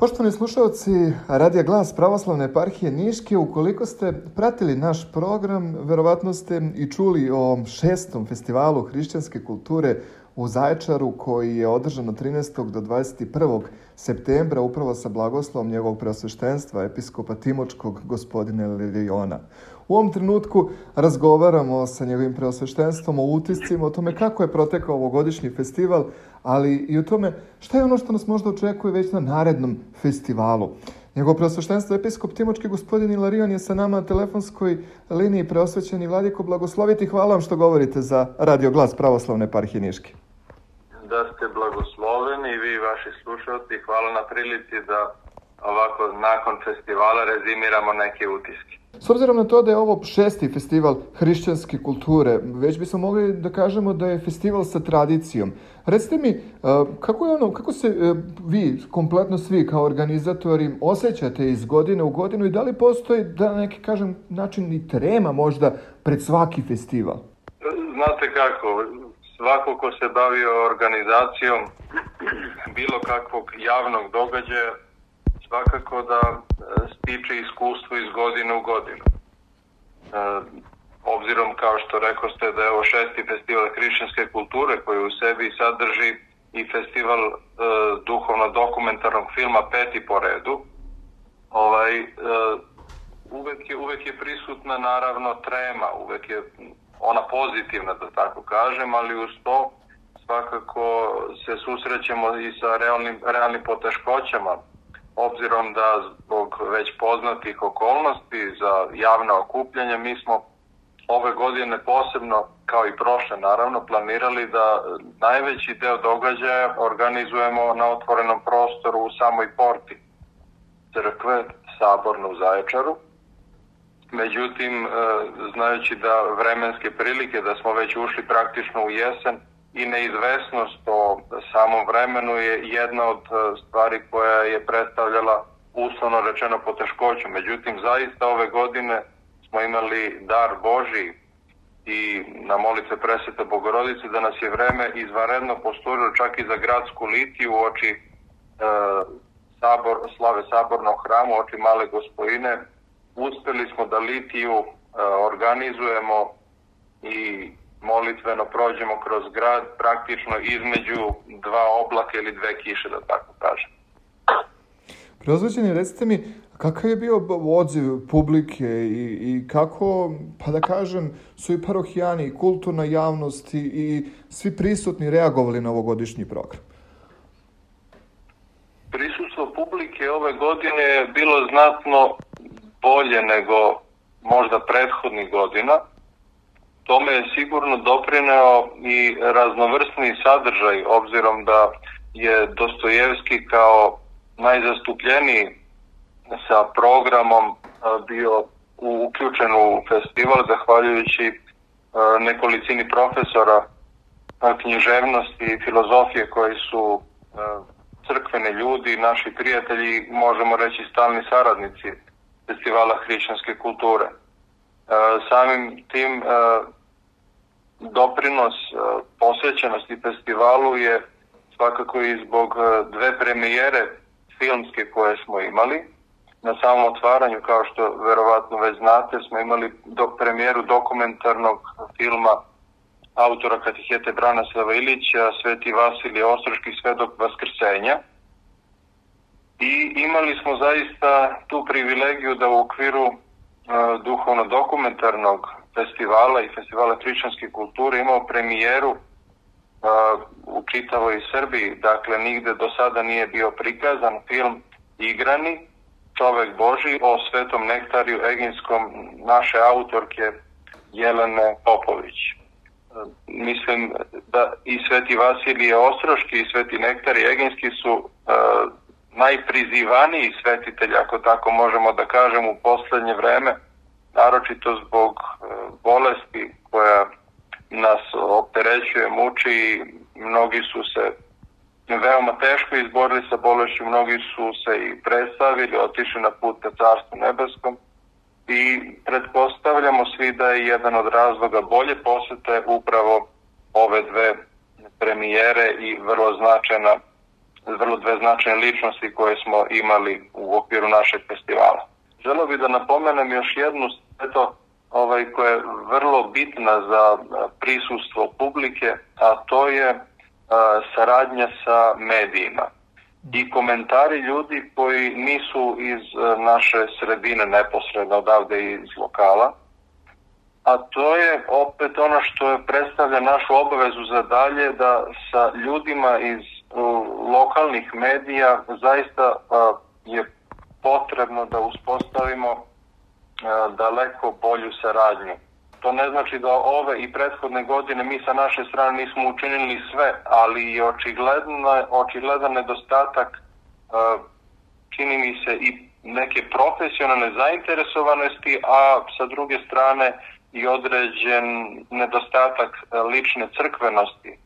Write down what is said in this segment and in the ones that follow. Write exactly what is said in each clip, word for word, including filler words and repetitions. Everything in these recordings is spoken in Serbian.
Poštovani slušalci Radija Glas Pravoslavne eparhije Niške, ukoliko ste pratili naš program, verovatno ste i čuli o šestom festivalu hrišćanske kulture u Zaječaru koji je održan od trinaestog do dvadeset prvog septembra upravo sa blagoslovom njegovog preosveštenstva episkopa Timočkog gospodina Liliona. U ovom trenutku razgovaramo sa njegovim preosveštenstvom o utiscima, o tome kako je protekao ovogodišnji festival, ali i o tome šta je ono što nas možda očekuje već na narednom festivalu. Njegovo preosveštenstvo episkop Timočki gospodin Ilarion je sa nama na telefonskoj liniji. Preosvećeni vladiko, blagosloviti, hvala vam što govorite za Radio Glas Pravoslavne eparhije Niške. Da ste blagosloveni i vi i vaši slušalci, hvala na prilici da ovako nakon festivala rezimiramo neke utiske. S obzirom na to da je ovo šesti festival hrišćanske kulture, već bismo mogli da kažemo da je festival sa tradicijom. Recite mi, kako je ono, kako se vi, kompletno svi kao organizatori, osjećate iz godine u godinu i da li postoji, da neki kažem, način i trema možda pred svaki festival? Znate kako, svako ko se bavio organizacijom bilo kakvog javnog događaja, svakako da stiče iskustvo iz godine u godinu. E, obzirom, kao što rekao ste, da je ovo šesti festival hrišćanske kulture koji u sebi sadrži i festival e, duhovno-dokumentarnog filma peti po redu, ovaj, e, uvek, je, uvek je prisutna naravno trema, uvek je ona pozitivna, da tako kažem, ali uz to svakako se susrećemo i sa realnim, realnim poteškoćama, obzirom da zbog već poznatih okolnosti za javna okupljanja mi smo ove godine posebno, kao i prošle naravno, planirali da najveći deo događaja organizujemo na otvorenom prostoru u samoj porti crkve Saborne u Zaječaru. Međutim, znajući da vremenske prilike, da smo već ušli praktično u jesen, i neizvesnost o samom vremenu je jedna od stvari koja je predstavljala uslovno rečeno poteškoću. Međutim, zaista ove godine smo imali dar Božiji i na molitve Presvete Bogorodice da nas je vreme izvanredno posturilo čak i za gradsku litiju u oči e, sabor, slave Sabornog hrama, u oči Male Gospojine. Uspeli smo da litiju e, organizujemo i molitveno prođemo kroz grad praktično između dva oblaka ili dve kiše, da tako kažem. Preozvećeni, recite mi, kakav je bio odziv publike i, i kako, pa da kažem, su i parohijani i kulturna javnost i, i svi prisutni reagovali na ovogodišnji program? Prisustvo publike ove godine je bilo znatno bolje nego možda prethodnih godina. Tome je sigurno doprineo i raznovrsni sadržaj, obzirom da je Dostojevski kao najzastupljeniji sa programom bio uključen u festival, zahvaljujući nekolicini profesora književnosti i filozofije koji su crkveni ljudi, naši prijatelji, možemo reći stalni saradnici festivala hrišćanske kulture. Samim tim doprinos posvećenosti festivalu je svakako i zbog dve premijere filmske koje smo imali. Na samom otvaranju, kao što verovatno već znate, smo imali do, premijeru dokumentarnog filma autora katehete Branislava Ilića, Sveti Vasilije Ostroški, Svedok Vaskrsenja. I imali smo zaista tu privilegiju da u okviru uh, duhovno-dokumentarnog festivala i festivala hrišćanske kulture imao premijeru uh, u čitavoj Srbiji. Dakle, nigde do sada nije bio prikazan film igrani Čovek Božji o Svetom Nektariju Eginskom naše autorke Jelene Popović. Uh, mislim da i Sveti Vasilije Ostroški i Sveti Nektarij Eginski su uh, najprizivaniji svetitelj, ako tako možemo da kažem, u poslednje vreme, naročito zbog bolesti koja nas opterećuje, muči i mnogi su se veoma teško izborili sa bolešću, mnogi su se i predstavili, otišli na put ka Carstvu nebeskom i pretpostavljamo svi da je jedan od razloga bolje posete upravo ove dve premijere i vrlo značajna vrlo dve značajne ličnosti koje smo imali u okviru našeg festivala. Želeo bih da napomenem još jednu sveto ovaj, koja je vrlo bitna za prisustvo publike, a to je a, saradnja sa medijima i komentari ljudi koji nisu iz a, naše sredine neposredno odavde iz lokala, a to je opet ono što je predstavlja našu obavezu za dalje, da sa ljudima iz a, lokalnih medija zaista a, je potrebno da uspostavimo daleko bolju saradnju. To ne znači da ove i prethodne godine mi sa naše strane nismo učinili sve, ali je očigledno, očigledan nedostatak, čini mi se, i neke profesionalne zainteresovanosti, a sa druge strane i određen nedostatak lične crkvenosti,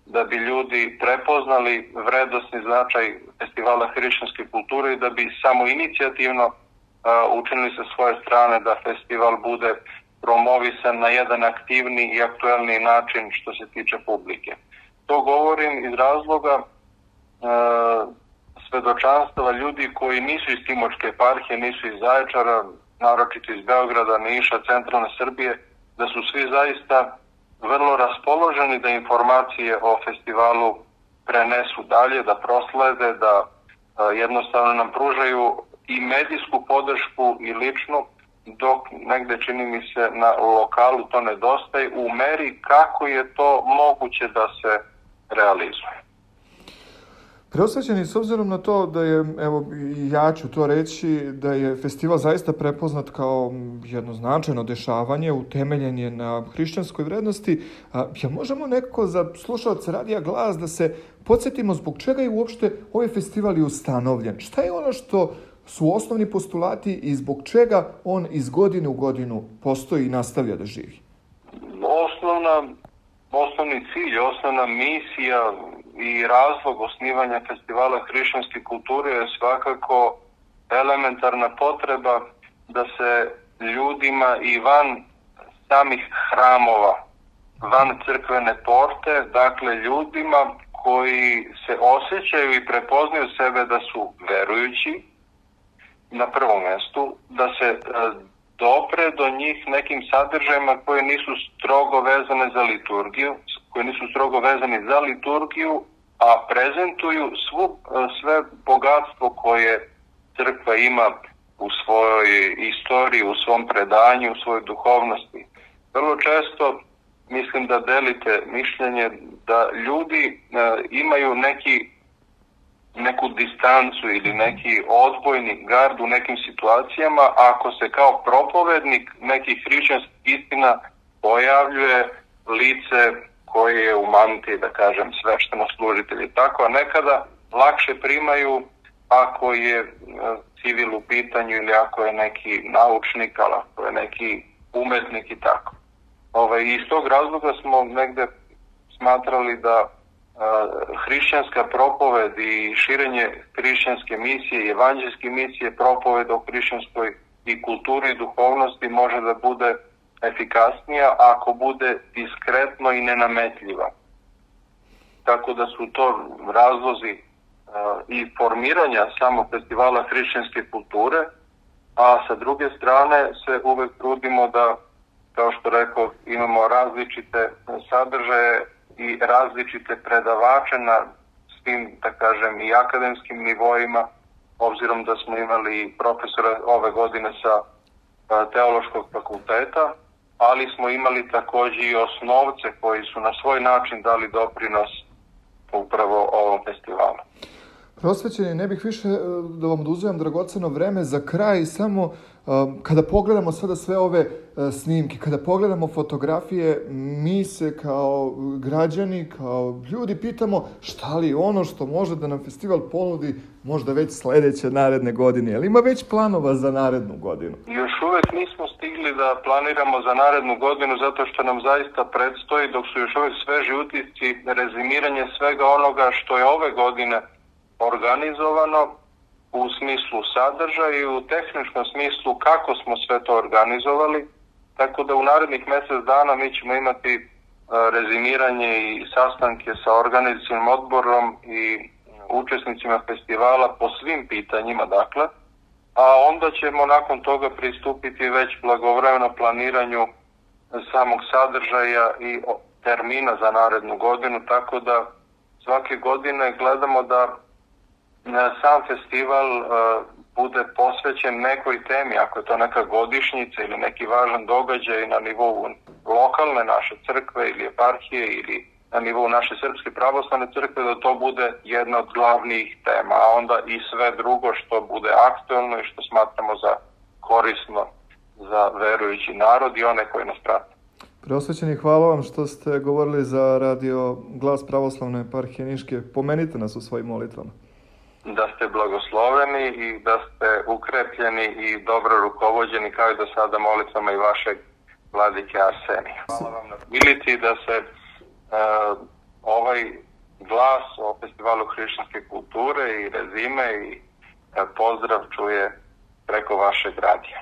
da bi ljudi prepoznali vrednosni značaj festivala hrišćanske kulture i da bi samo inicijativno učinili sa svoje strane da festival bude promovisan na jedan aktivni i aktuelni način što se tiče publike. To govorim iz razloga e, svedočanstava ljudi koji nisu iz Timočke eparhije, nisu iz Zaječara, naročito iz Beograda, Niša, centralne Srbije, da su svi zaista vrlo raspoloženi da informacije o festivalu prenesu dalje, da proslede, da e, jednostavno nam pružaju i medijsku podršku i ličnu, dok negde, čini mi se, na lokalu to nedostaje u meri kako je to moguće da se realizuje. Preosvećeni, s obzirom na to da je, evo ja ću to reći, da je festival zaista prepoznat kao jedno značajno dešavanje, utemeljen je na hrišćanskoj vrednosti, a, ja možemo nekako za slušaoce Radija Glas da se podsjetimo zbog čega je uopšte ovaj festival i ustanovljen. Šta je ono što su osnovni postulati i zbog čega on iz godine u godinu postoji i nastavlja da živi? Osnovna, osnovni cilj, osnovna misija i razlog osnivanja festivala hrišćanske kulture je svakako elementarna potreba da se ljudima i van samih hramova, van crkvene porte, dakle ljudima koji se osjećaju i prepoznaju sebe da su verujući, na prvom mjestu, da se dopre do njih nekim sadržajima koje nisu strogo vezane za liturgiju, koji nisu strogo vezani za liturgiju, a prezentuju svu, sve bogatstvo koje crkva ima u svojoj istoriji, u svom predanju, u svojoj duhovnosti. Vrlo često mislim da delite mišljenje da ljudi imaju neki neku distancu ili neki odbojni gard u nekim situacijama ako se kao propovednik nekih hrišćanskih istina pojavljuje lice koje je u mantiji, da kažem, svešteno-služitelj i tako, a nekada lakše primaju ako je civil u pitanju ili ako je neki naučnik, ali ako je neki umetnik i tako. Ove, iz tog razloga smo negde smatrali da hrišćanska propoved i širenje hrišćanske misije i evanđelske misije, propoved o hrišćanskoj i kulturi i duhovnosti može da bude efikasnija ako bude diskretno i nenametljiva. Tako da su to razlozi i formiranja samog festivala hrišćanske kulture, a sa druge strane se uvek trudimo da, kao što rekao, imamo različite sadržaje i različite predavače na svim, da kažem, i akademskim nivoima, obzirom da smo imali profesora ove godine sa Teološkog fakulteta, ali smo imali takođe i osnovce koji su na svoj način dali doprinos upravo ovom festivalu. Prosvećeni, ne bih više da vam oduzimam dragoceno vreme za kraj, samo kada pogledamo sada sve ove snimke, kada pogledamo fotografije, mi se kao građani, kao ljudi pitamo šta li ono što može da nam festival ponudi možda već sledeće naredne godine. Ali ima već planova za narednu godinu? Još uvek nismo stigli da planiramo za narednu godinu zato što nam zaista predstoji, dok su još uvek sveži utisci, rezimiranje svega onoga što je ove godine organizovano u smislu sadržaja i u tehničkom smislu kako smo sve to organizovali, tako da u narednih mjesec dana mi ćemo imati rezimiranje i sastanke sa organizacionim odborom i učesnicima festivala po svim pitanjima, dakle, a onda ćemo nakon toga pristupiti već blagovremeno planiranju samog sadržaja i termina za narednu godinu, tako da svake godine gledamo da sam festival bude posvećen nekoj temi, ako je to neka godišnjica ili neki važan događaj na nivou lokalne naše crkve ili eparhije ili na nivou naše Srpske pravoslavne crkve, da to bude jedna od glavnih tema, a onda i sve drugo što bude aktuelno i što smatramo za korisno za verujući narod i one koji nas prate. Preosvećeni, hvala vam što ste govorili za radio Glas pravoslavne eparhije Niške. Pomenite nas u svojim molitvama. Da ste blagosloveni i da ste ukrepljeni i dobro rukovođeni kao i do sada molitvama i vašeg vladike Arsenija. Hvala vam na prilici da se uh, ovaj glas o Festivalu hrišćanske kulture i rezime i uh, pozdrav čuje preko vašeg radija.